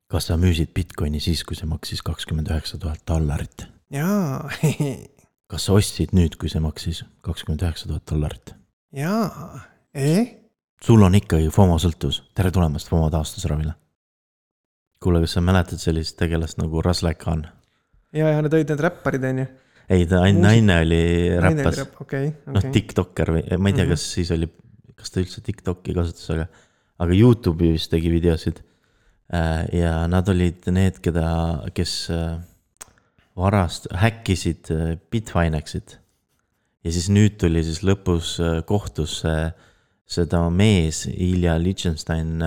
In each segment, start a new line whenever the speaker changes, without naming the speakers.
Kas sa müüsid Bitcoini siis, kui see maksis $29,000?
Jaa.
Kas sa ostsid nüüd, kui see maksis $29,000?
Jaa.
Sul on ikkagi FOMO sõltuvus. Tere tulemast FOMO taastusravile. Kuule, kas sa mäletad sellist tegelast nagu Razlai Khan?
Ja need olid need räpparid, on ju?
Ei, ta naine oli räppas.
Okay.
TikToker või, ma ei tea, kas ta üldse TikToki kasutas, aga YouTube'i vist tegi videosid. Ja nad olid need, kes häkkisid Bitfinexit. Ja siis nüüd tuli siis lõpus kohtusse seda mees, Ilja Lichtenstein,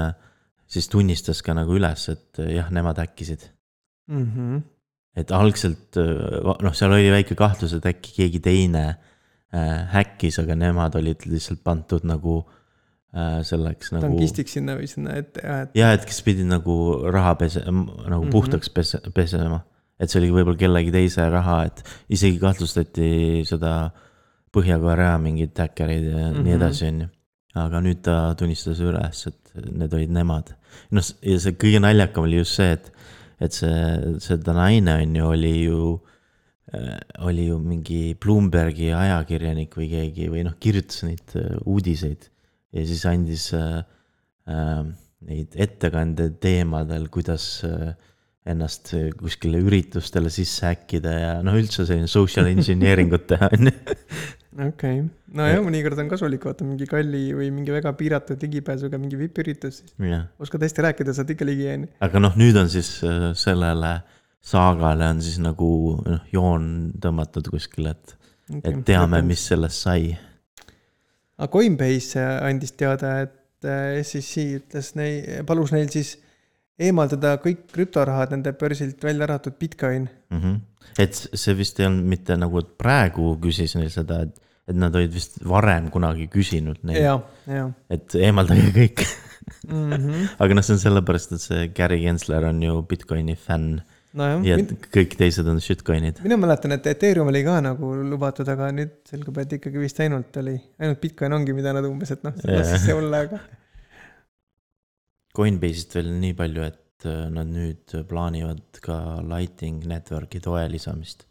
siis tunnistas ka nagu üles, et jah, nemad häkkisid. Et algselt, seal oli väike kahtlus, et äkki keegi teine häkkis, aga nemad olid lihtsalt pandud nagu selleks nagu...
Tankistiks sinna või sinna ette.
Ja, et kes pidid nagu raha nagu puhtaks pesema. Et see oli võib-olla kellegi teise raha, et isegi kahtlustati seda Põhja-Korea mingid häkkerid ja nii edasi on ju. Aga nüüd ta tunnistas üles, et need olid nemad. Ja see kõige naljakam oli just see, et seda naine on ju oli ju mingi Bloombergi ajakirjanik või keegi või kirjutas neid uudiseid ja siis andis neid ettekande teemadel, kuidas ennast kuskile üritustele sisse häkkida ja üldse selline social engineeringut teha.
Okei. No jah, mõnikord on kasulik vaata mingi kalli või mingi väga piiratud ligipääsuga mingi VIP-üritus. Oskad hästi rääkida, saad ikka ligi jääni.
Aga nüüd on siis sellele saagale on siis nagu joon tõmmatud kuskil, et teame, mis sellest sai.
Aga Coinbase andis teada, et SEC palus neil siis eemaldada kõik krüptorahad nende börsilt välja arvatud Bitcoin.
Et see vist ei olnud mitte nagu, et praegu küsis neil seda, et nad olid vist varem kunagi küsinud neil.
Ja.
Et eemaldage kõik. Aga see on sellepärast, et see Gary Gensler on ju Bitcoini fänn. Ja kõik teised on shitcoinid.
Mina mäletan, et Ethereum oli ka nagu lubatud, aga nüüd selgub, et ikkagi vist ainult Bitcoin ongi, mida nad umbes, et see lassis see olla, aga...
Coinbase'ist veel nii palju, et nad nüüd plaanivad ka Lightning Networki toe lisamist.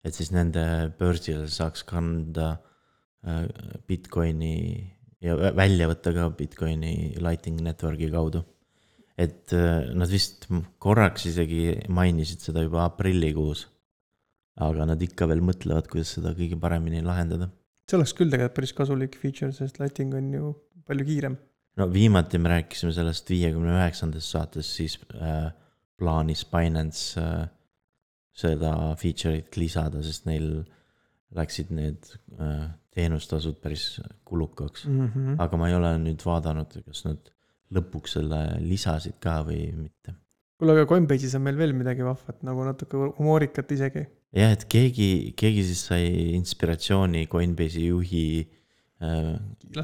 Et siis nende börsil saaks kanda Bitcoini ja välja võtta ka Bitcoini Lightning Networki kaudu. Et nad vist korraks isegi mainisid seda juba aprillikuus, aga nad ikka veel mõtlevad, kuidas seda kõige paremini lahendada.
See oleks küll tegelikult päris kasulik feature, sest Lightning on ju palju kiirem.
Viimati me rääkisime sellest 59. saates, siis plaanis Binance seda feature'it lisada, sest neil läksid need teenustasud päris kulukaks. Aga ma ei ole nüüd vaadanud, kas nad lõpuks selle lisasid ka või mitte.
Kuule, aga Coinbase'is on meil veel midagi vahvat, nagu natuke humoorikat isegi.
Jah, et keegi siis sai inspiratsiooni Coinbase'i juhi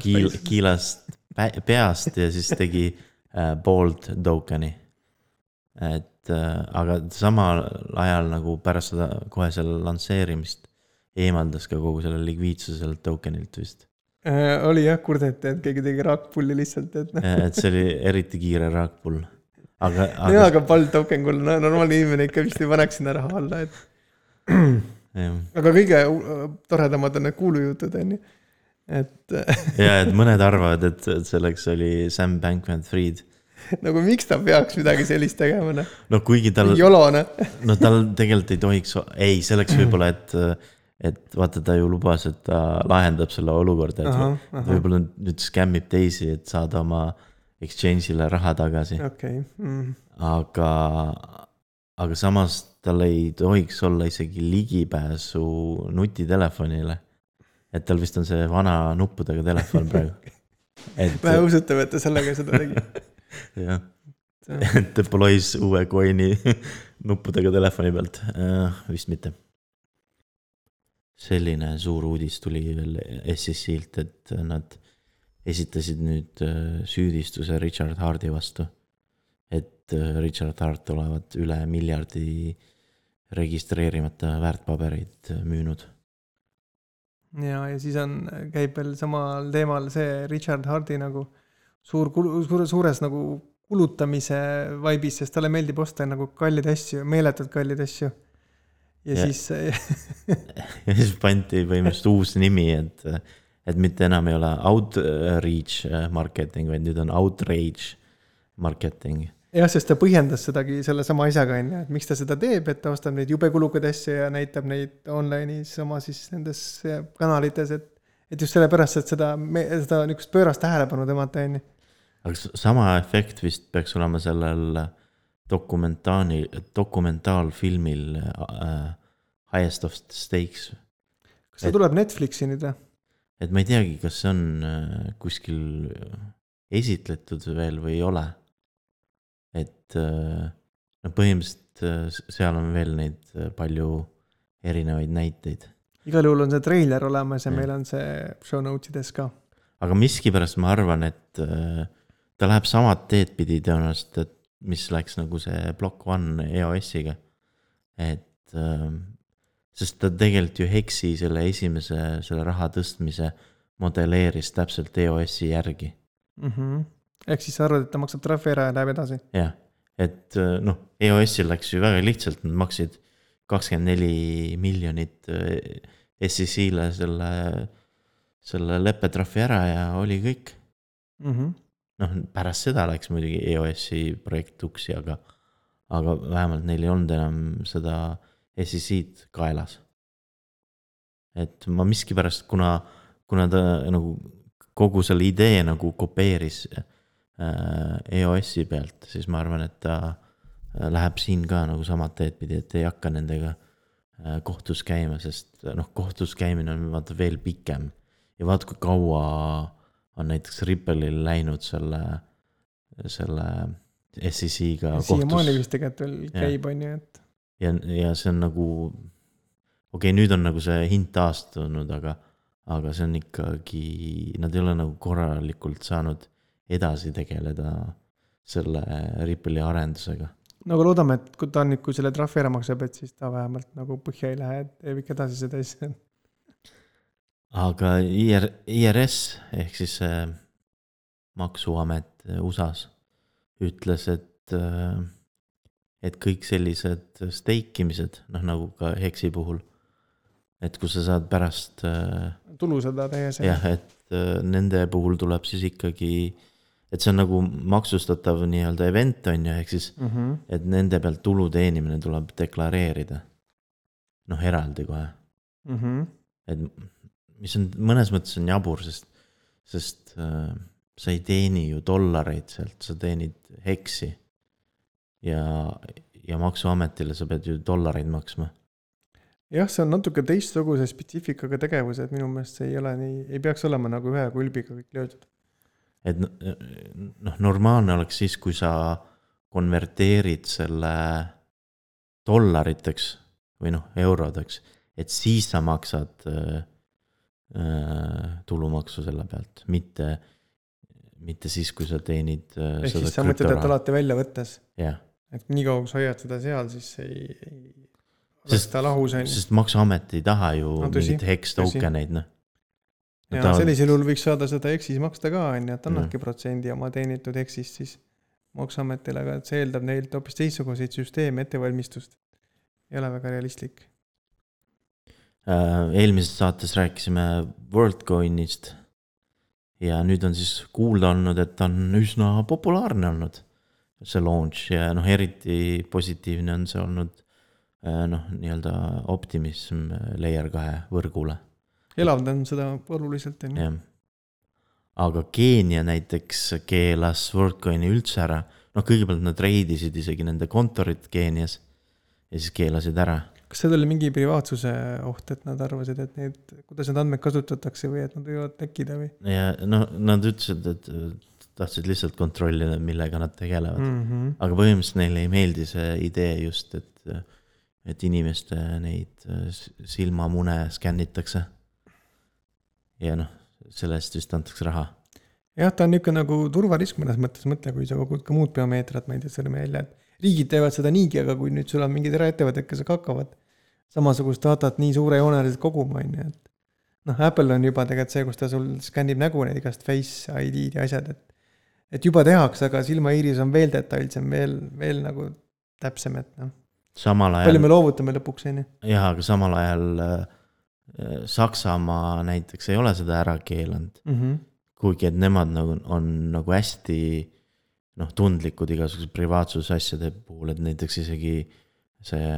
kiilast peast ja siis tegi bold tokeni. Aga samal ajal nagu pärast seda kohe selle lansseerimist eemaldas ka kogu selle likviidsuse sellelt tokenilt vist.
Oli jah, kurdeti, et keegi tegi raakpulli lihtsalt.
Et see oli eriti kiire raakpull.
Aga bold token kull, normaalne inimene ikka vist ei paneks sinna raha alla. Aga kõige toredamad on need kuulujutud, on ju.
Ja, et mõned arvavad, et selleks oli Sam Bankman-Fried.
Nagu miks ta peaks midagi sellist tegema?
Kuigi tal...
Jolone.
Tal tegelikult ei tohiks... Ei, selleks võib-olla, et vaata ta ju lubas, et ta lahendab selle olukorda, et võib-olla nüüd skämmib teisi, et saada oma exchange'ile raha tagasi. Aga samas tal ei tohiks olla isegi ligipääsu nutitelefonile. Et tal vist on see vana nuppudega telefon praegu.
Vähe usutav, et ta sellega seda tegi.
Jah, et deploys uue coin'i nuppudega telefoni pealt. Vist mitte. Selline suur uudis tuli veel SEC-ilt, et nad esitasid nüüd süüdistuse Richard Hardi vastu. Et Richard Hart olevat üle $1 miljardi registreerimata väärtpabereid müünud.
Ja siis käib veel samal teemal see Richard Hardi nagu suures nagu kulutamise vaibis, sest talle meeldib osta nagu kallid asju, meeletult kallid asju. Ja siis
ja siis pandi põhimõtteliselt uus nimi, et mitte enam ei ole outreach marketing, vaid nüüd on outrage marketing.
Jah, sest ta põhjendas sedagi selle sama asjaga, et miks ta seda teeb, et ta ostab neid jube kulukad asju ja näitab neid online'is oma siis nendes kanalites, et just selle pärast, et seda niisugust pöörast tähelepanu tõmmata, on ju.
Aga sama efekt vist peaks olema sellel dokumentaalfilmil Highest of Stakes.
Kas see tuleb Netflixi nüüd või?
Et ma ei teagi, kas see on kuskil esitletud veel või ei ole. Et põhimõtteliselt seal on veel neid palju erinevaid näiteid.
Igal juhul on see treiler olemas ja meil on see show notesides ka.
Aga miskipärast ma arvan, et ta läheb samad teed pidi tõenäoliselt, et mis läks nagu see Block One EOS-iga. Et sest ta tegelikult ju Hexi selle esimese selle raha tõstmise modelleeris täpselt EOS-i järgi.
Ehk siis sa arvad, et ta maksab trahvi ära ja läheb edasi?
Jah, et noh, EOS-il läks ju väga lihtsalt, nad maksid 24 miljonit SEC-le selle leppetrahvi ära ja oli kõik. Noh, pärast seda läks muidugi EOS-i projekt uksi, aga vähemalt neil ei olnud enam seda SEC-d kaelas. Et ma miskipärast, kuna ta nagu kogu selle idee nagu kopeeris EOS-i pealt, siis ma arvan, et ta läheb siin ka nagu samad teed pidi, et ei hakka nendega kohtus käima, sest noh, kohtus käimine on vaata veel pikem ja vaata, kui kaua on näiteks Ripple'il läinud selle SEC-ga kohtus.
Siiamaani vist tegelikult veel käib, on ju, et.
Ja see on nagu, okei, nüüd on nagu see hind taastunud, aga see on ikkagi, nad ei ole nagu korralikult saanud edasi tegeleda selle Ripple'i arendusega.
Nagu loodame, et kui ta on nüüd, kui selle trahvi ära maksab, et siis ta vähemalt nagu põhja ei lähe, et teeb ikka edasi seda asja.
Aga IRS ehk siis maksuamet USAs ütles, et kõik sellised steikimised, noh nagu ka Hexi puhul, et kui sa saad pärast
tulu seda tehes.
Jah, et nende puhul tuleb siis ikkagi, et see on nagu maksustatav nii-öelda event on ju, ehk siis, et nende pealt tulu teenimine tuleb deklareerida. Noh, eraldi kohe. Et mis on mõnes mõttes on jabur, sest sa ei teeni ju dollareid sealt, sa teenid Hexi ja maksuametile sa pead ju dollareid maksma.
Jah, see on natuke teistsuguse spetsifikaga tegevus, et minu meelest see ei ole nii, ei peaks olema nagu ühe kulbiga kõik löödud.
Et noh, normaalne oleks siis, kui sa konverteerid selle dollariteks või noh, eurodeks, et siis sa maksad tulumaksu selle pealt, mitte siis, kui sa teenid
ehk siis sa mõtled, et alati välja võttes.
Jah.
Et nii kaua, kui sa hoiad seda seal, siis ei oleks ta lahus.
Sest maksuamet ei taha ju mingit Hex tokeneid, noh.
Ja sellisel juhul võiks saada seda Hexis maksta ka, et annadki protsendi oma teenitud Hexist siis maksuametile, aga see eeldab neilt hoopis teistsuguseid süsteemi ettevalmistust. Ei ole väga realistlik.
Eelmises saates rääkisime WorldCoinist ja nüüd on siis kuulda olnud, et on üsna populaarne olnud see launch ja noh, eriti positiivne on see olnud noh, nii-öelda optimism Layer 2 võrgule.
Elavdan seda oluliselt.
Jah. Aga Keenia näiteks keelas WorldCoini üldse ära. Noh, kõigepealt nad reidisid isegi nende kontorit Keenias ja siis keelasid ära.
Kas see oli mingi privaatsuse oht, et nad arvasid, et kuidas need andmed kasutatakse või et nad võivad tekkida või? Ja
no, nad ütlesid, et tahtsid lihtsalt kontrollida, millega nad tegelevad. Aga põhimõtteliselt neile ei meeldi see idee just, et inimeste neid silmamune skännitakse. Ja noh, sellest vist antakse raha.
Jah, ta on niisugune nagu turvarisk mõnes mõttes mõtle, kui sa kogud ka muud biomeetrat, ma ei tea, sõrme välja, et riigid teevad seda niigi, aga kui nüüd sul on mingid eraettevõtted, kes hakkavad samasugust datat nii suure jooneliselt koguma, et noh, Apple on juba tegelikult see, kus ta sul skännib nägu need igast Face ID ja asjad, et juba tehakse, aga silmaiiris on veel detailsem, veel nagu täpsem, et noh.
Samal ajal...
Palju me loovutame lõpuks, on ju?
Jah, aga samal ajal Saksamaa näiteks ei ole seda ära keelanud. Kuigi, et nemad nagu, on nagu hästi tundlikud igasugused privaatsusasjade puhul, et näiteks isegi see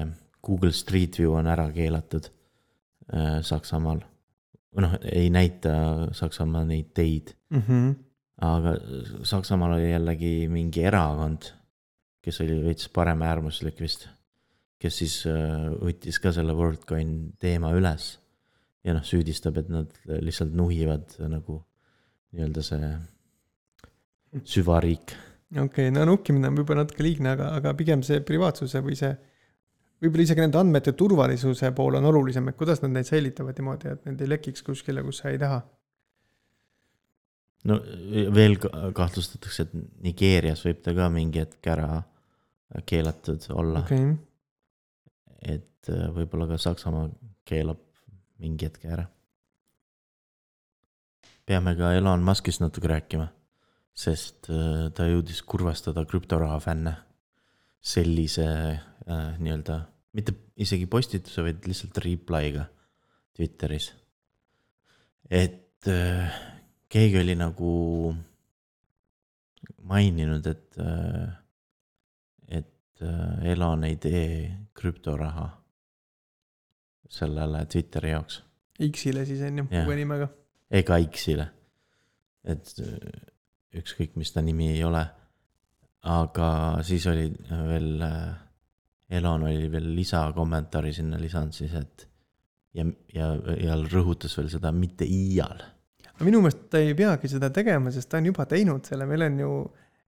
Google Street View on ära keelatud Saksamaal. Ei näita Saksamaa neid teid. Aga Saksamaal oli jällegi mingi erakond, kes oli veits parem äärmuslik vist, kes siis võttis ka selle WorldCoin teema üles ja süüdistab, et nad lihtsalt nuhivad nagu nii-öelda see süvariik.
Okei, nukkimine on võib-olla natuke liigne, aga pigem see privaatsuse või see võib-olla isegi nende andmete turvalisuse pool on olulisem, et kuidas nad neid säilitavad niimoodi, et need ei lekiks kuskile, kus sa ei taha.
No veel kahtlustatakse, et Nigeerias võib ta ka mingi hetk ära keelatud olla.
Okay.
Et võib-olla ka Saksamaa keelab mingi hetk ära. Peame ka Elon Muskist natuke rääkima, sest ta jõudis kurvastada krüptoraha fänne sellise nii-öelda, mitte isegi postituse, vaid lihtsalt reply'ga Twitteris. Et keegi oli nagu maininud, et Elon ei tee krüptoraha sellele Twitteri jaoks.
X-ile siis on ju, uue nimega.
Ega X-ile. Et ükskõik, mis ta nimi ei ole. Aga siis oli veel, Elon oli veel lisakommentaari sinna lisanud siis, et ja rõhutas veel seda mitte iial.
Minu meelest ta ei peagi seda tegema, sest ta on juba teinud selle, meil on ju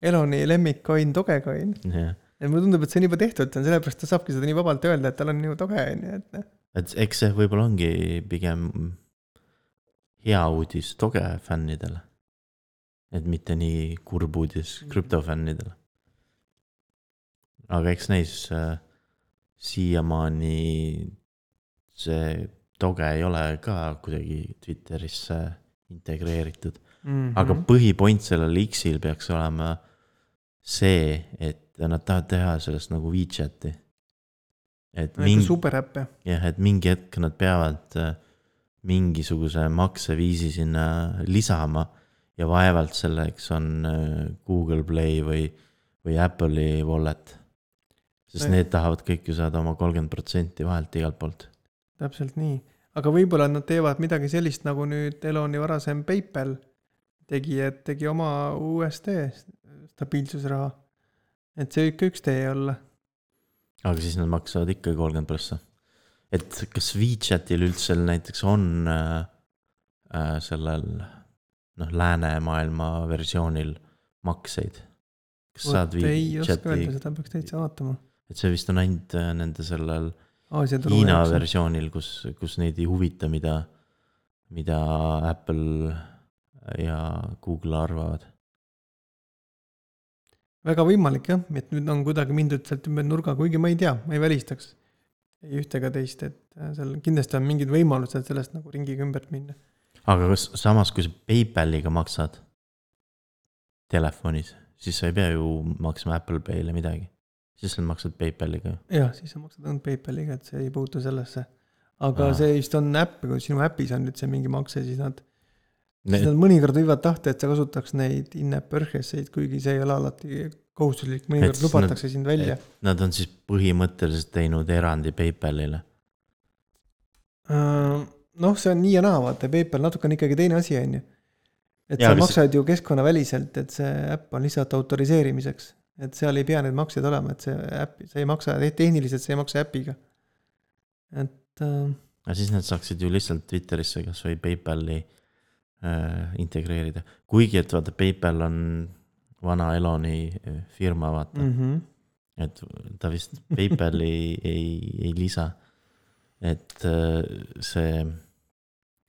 Eloni lemmikcoin, Dogecoin. Ja mulle tundub, et see on juba tehtud, sellepärast ta saabki seda nii vabalt öelda, et tal on ju Doge,
et eks see võib-olla ongi pigem hea uudis Doge fännidele, et mitte nii kurb uudis krüptofännidele. Aga eks neis siiamaani see Doge ei ole ka kuidagi Twitterisse integreeritud. Aga põhipoint sellel X-il peaks olema see, et nad tahavad teha sellest nagu WeChati.
Superäppe.
Jah, et mingi hetk nad peavad mingisuguse makseviisi sinna lisama ja vaevalt selleks on Google Play või Apple'i wallet. Sest need tahavad kõik ju saada oma 30% vahelt igalt poolt.
Täpselt nii. Aga võib-olla nad teevad midagi sellist, nagu nüüd Eloni varasem PayPal tegi oma USD stabiilsusraha. Et see ikka üks tee olla.
Aga siis nad maksavad ikka 30%. Et kas WeChatil üldse näiteks on sellel läänemaailma versioonil makseid? Kas saad
ei oska öelda, seda peaks täitsa vaatama.
Et see vist on ainult nende sellel Hiina versioonil, kus neid ei huvita, mida Apple ja Google arvavad.
Väga võimalik jah, et nüüd on kuidagi mindud sealt ümber nurga, kuigi ma ei tea, ma ei välistaks ei ühtega teist, et seal kindlasti on mingid võimalused sellest nagu ringiga ümbert minna.
Aga samas, kui sa PayPaliga maksad telefonis, siis sa ei pea ju maksma Apple Pay'le midagi. Siis sa maksad PayPaliga.
Jah, siis sa maksad ainult PayPaliga, et see ei puutu sellesse. Aga see vist on äpp, kui sinu äpis on nüüd see mingi makse, siis nad mõnikord võivad tahta, et sa kasutaks neid in-app purchaseid, kuigi see ei ole alati kohustuslik, mõnikord lubatakse sind välja.
Nad on siis põhimõtteliselt teinud erandi PayPalile.
See on nii ja naa, vaata, PayPal natuke on ikkagi teine asi, on ju. Et sa maksad ju keskkonna väliselt, et see äpp on lihtsalt autoriseerimiseks. Et seal ei pea need maksed olema, et see ei maksa, tehniliselt see ei maksa äpiga.
Aga siis nad saaksid ju lihtsalt Twitterisse kas või PayPali integreerida. Kuigi, et vaata, PayPal on vana Eloni firma, vaata. Et ta vist PayPali ei lisa. Et see...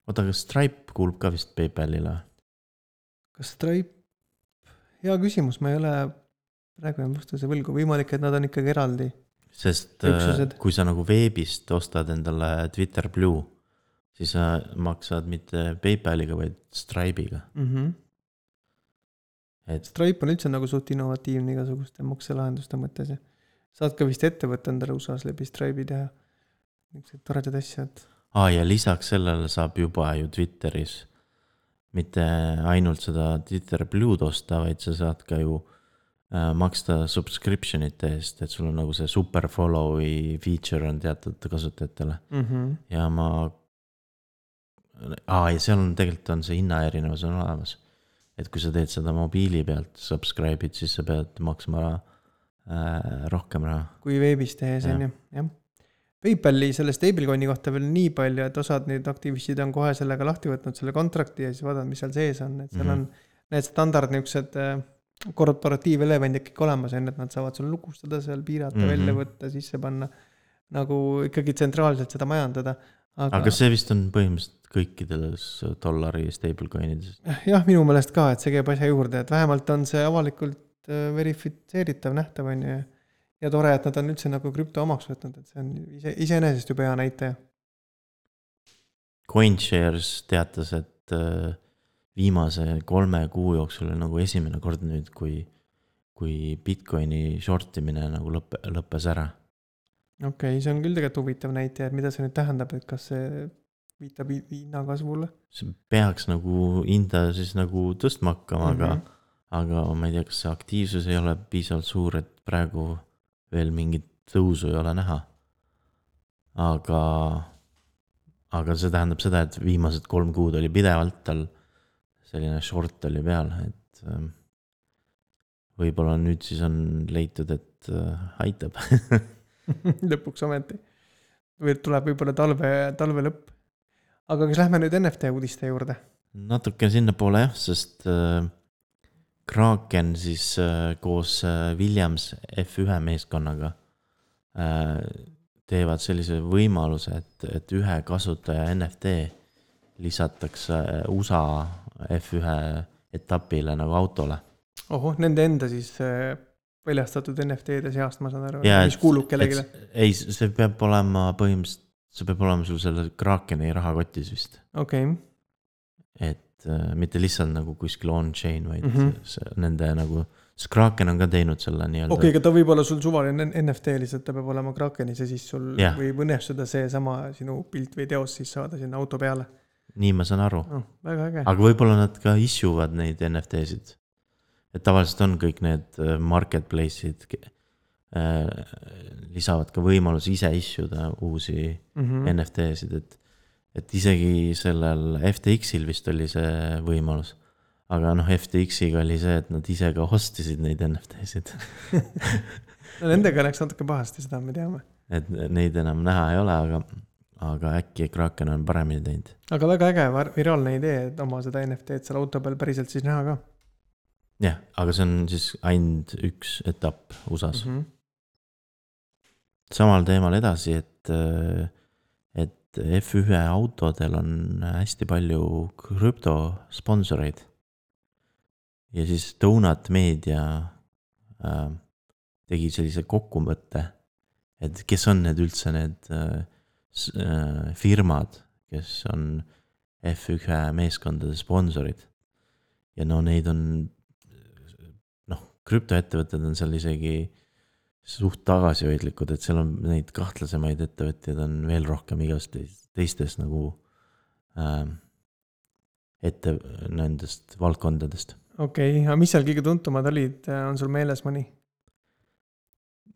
Oota, kas Stripe kuulub ka vist PayPalile?
Kas Stripe? Hea küsimus, ma ei ole praegu vastuse võlgu. Võimalik, et nad on ikkagi eraldi.
Sest kui sa nagu veebist ostad endale Twitter Blue, siis sa maksad mitte PayPaliga, vaid Stripe'iga.
Stripe on üldse nagu suht innovatiivne igasuguste makselahenduste mõttes ja saad ka vist ettevõtte endale USA-s läbi Stripe'i teha niisugused toredad asjad.
Ja lisaks sellele saab juba ju Twitteris mitte ainult seda Twitter Blue'd osta, vaid sa saad ka ju maksta subscriptionite eest, et sul on nagu see super follow'i feature on teatud kasutajatele. Ja ja seal on tegelikult on see hinnaerinevus on olemas. Et kui sa teed seda mobiili pealt subscribe'id, siis sa pead maksma rohkem raha.
Kui veebis tehes on ju, jah. PayPali selle stablecoin'i kohta veel nii palju, et osad need aktivistid on kohe sellega lahti võtnud selle kontrakti ja siis vaadad, mis seal sees on. Et seal on need standard niisugused korporatiivelevendid kõik olemas, et nad saavad sul lukustada seal, piirata, välja võtta, sisse panna, nagu ikkagi tsentraalselt seda majandada.
Aga see vist on põhimõtteliselt kõikides dollari stablecoinides.
Jah, minu meelest ka, et see käib asja juurde, et vähemalt on see avalikult verifitseeritav nähtav on ja tore, et nad on üldse nagu krüpto omaks võtnud, et see on iseenesest juba hea näitaja.
CoinShares teatas, et viimase 3 kuu jooksul on nagu esimene kord nüüd, kui Bitcoini shortimine nagu lõppes ära.
Okei, see on küll tegelikult huvitav näitaja, et mida see nüüd tähendab, et kas see viitab hinna kasvule?
See peaks nagu hinda siis nagu tõstma hakkama, aga ma ei tea, kas see aktiivsus ei ole piisavalt suur, et praegu veel mingit tõusu ei ole näha. Aga see tähendab seda, et viimased 3 kuud oli pidevalt tal selline short oli peal, et võib-olla nüüd siis on leitud, et aitab.
Lõpuks ometi. Või tuleb võib-olla talve lõpp. Aga kas lähme nüüd NFT uudiste juurde?
Natuke sinna poole jah, sest Kraken siis koos Williams F1 meeskonnaga teevad sellise võimaluse, et ühe kasutaja NFT lisatakse USA F1 etapile nagu autole.
Nende enda siis väljastatud NFT-de seast, ma saan aru, mis kuulub kellegile?
Ei, see peab olema põhimõtteliselt, see peab olema sul selle Krakeni rahakotis vist.
Okei.
Et mitte lihtsalt nagu kuskil on-chain, vaid nende nagu, sest Kraken on ka teinud selle nii-öelda.
Okei, aga ta võib olla sul suvaline NFT lihtsalt, ta peab olema Krakenis ja siis sul võib õnnestuda see sama sinu pilt või teos siis saada sinna auto peale.
Nii ma saan aru.
Väga äge.
Aga võib-olla nad ka issuvad neid NFT-sid. Et tavaliselt on kõik need marketplace'id lisavad ka võimalus ise issuda uusi NFT-sid, et isegi sellel FTX-il vist oli see võimalus. Aga FTX-iga oli see, et nad ise ka hostisid neid NFT-sid.
Nendega läks natuke pahasti, seda me teame.
Et neid enam näha ei ole, aga äkki Kraken on paremini teinud.
Aga väga äge, viraalne idee, et oma seda NFT-d seal auto peal päriselt siis näha ka.
Jah, aga see on siis ainult üks etapp USAs. Samal teemal edasi, et F1 autodel on hästi palju krüptosponsoreid. Ja siis Donut Media tegi sellise kokkumõtte, et kes on need üldse need firmad, kes on F1 meeskondade sponsorid. Ja neid on krüptoettevõtted on seal isegi suht tagasihoidlikud, et seal on neid kahtlasemaid ettevõtteid on veel rohkem igast teistes nagu nendest valdkondadest.
Okei, aga mis seal kõige tuntumad olid, on sul meeles mõni?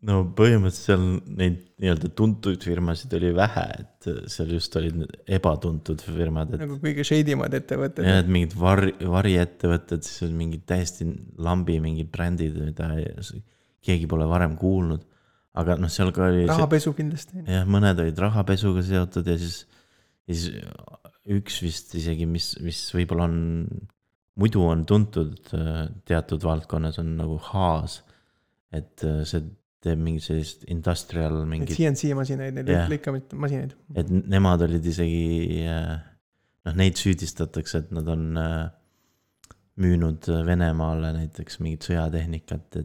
No põhimõtteliselt seal neid nii-öelda tuntud firmasid oli vähe, et seal just olid ebatuntud firmad.
Nagu kõige shadymad ettevõtted.
Ja et mingid variettevõtted, siis on mingid täiesti lambi mingid brändid, mida keegi pole varem kuulnud. Aga seal ka oli...
Rahapesu kindlasti.
Jah, mõned olid rahapesuga seotud ja siis üks vist isegi, mis võib-olla on, muidu on tuntud teatud valdkonnas on nagu Haas, et see teeb mingi sellist industrial mingit...
CNC masinaid, neid lõikamist masinaid.
Et nemad olid isegi, neid süüdistatakse, et nad on müünud Venemaale näiteks mingit sõjatehnikat,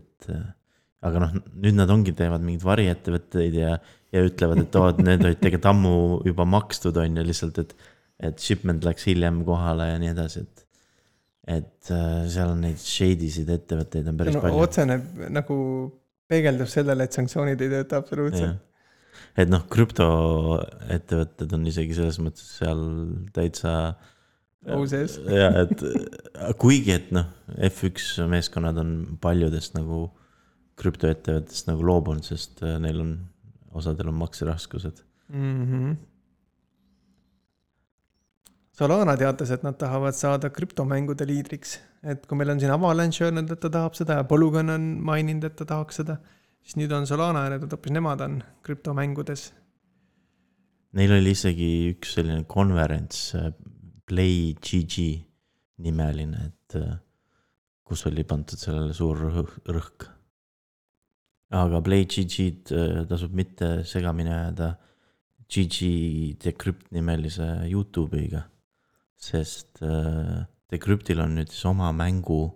aga nüüd nad teevad mingid variettevõtteid ja ütlevad, et need olid tegelikult ammu juba makstud on ja lihtsalt, et shipment läks hiljem kohale ja nii edasi, et seal on neid shady'sid ettevõtteid on päris
no,
palju.
otsene nagu peegeldub sellele, et sanktsioonid ei tööta absoluutselt.
Et noh, krüptoettevõtted on isegi selles mõttes seal täitsa
sees.
ja, et kuigi, et noh, F1 meeskonnad on paljudest nagu krüptoettevõttest nagu loobunud, sest neil on, osadel on makseraskused.
Solana teatas, et nad tahavad saada krüptomängude liidriks. Et kui meil on siin Avalanche öelnud, et ta tahab seda ja Polygon on maininud, et ta tahaks seda, siis nüüd on Solana ja hoopis nemad on krüptomängudes.
Neil oli isegi üks selline konverents, PlayGG nimeline, et kus oli pandud sellele suur rõhk. Aga PlayGG-d tasub mitte segamini ajada GG Decrypt nimelise YouTube'iga, sest Decryptil on nüüd oma mängudele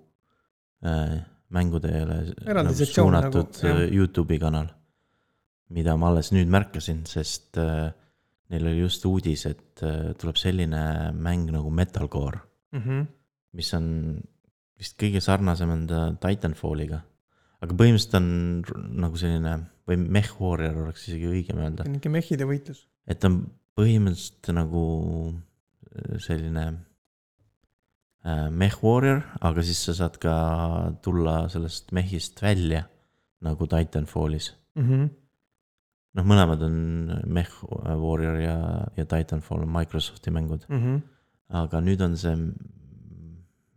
suunatud nagu, YouTube'i kanal, mida ma alles nüüd märkasin, sest neil oli just uudis, et tuleb selline mäng nagu Metalcore, mis on vist kõige sarnasem enda Titanfalliga, aga põhimõtteliselt on nagu selline, või Mech Warrior oleks isegi õigem öelda.
Mingi mehide võitlus.
Et on põhimõtteliselt nagu selline Mech Warrior, aga siis sa saad ka tulla sellest mehist välja nagu Titanfallis. Noh, mõlemad on Mech Warrior ja Titanfall on Microsofti mängud. Aga nüüd on see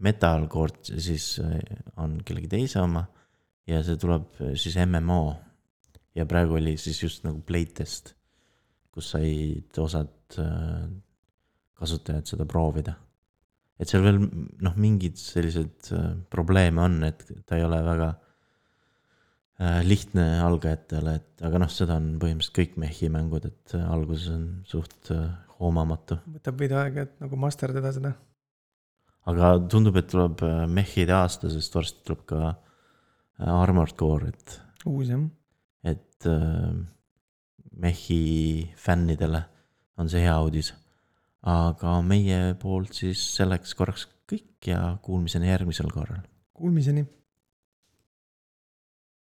Metalcore siis on kellegi teise oma ja see tuleb siis MMO. Ja praegu oli siis just nagu playtest, kus said osad kasutajad seda proovida. Et seal veel mingid sellised probleeme on, et ta ei ole väga lihtne algajatele, aga seda on põhimõtteliselt kõik mehi mängud, et alguses on suht hoomamatu.
Võtab veidi aega, et nagu masterdada seda.
Aga tundub, et tuleb mehide aasta, sest varsti tuleb ka Armored Core,
uus jah.
Et mehi fännidele on see hea uudis. Aga meie poolt siis selleks korraks kõik ja kuulmiseni järgmisel korral.
Kuulmiseni.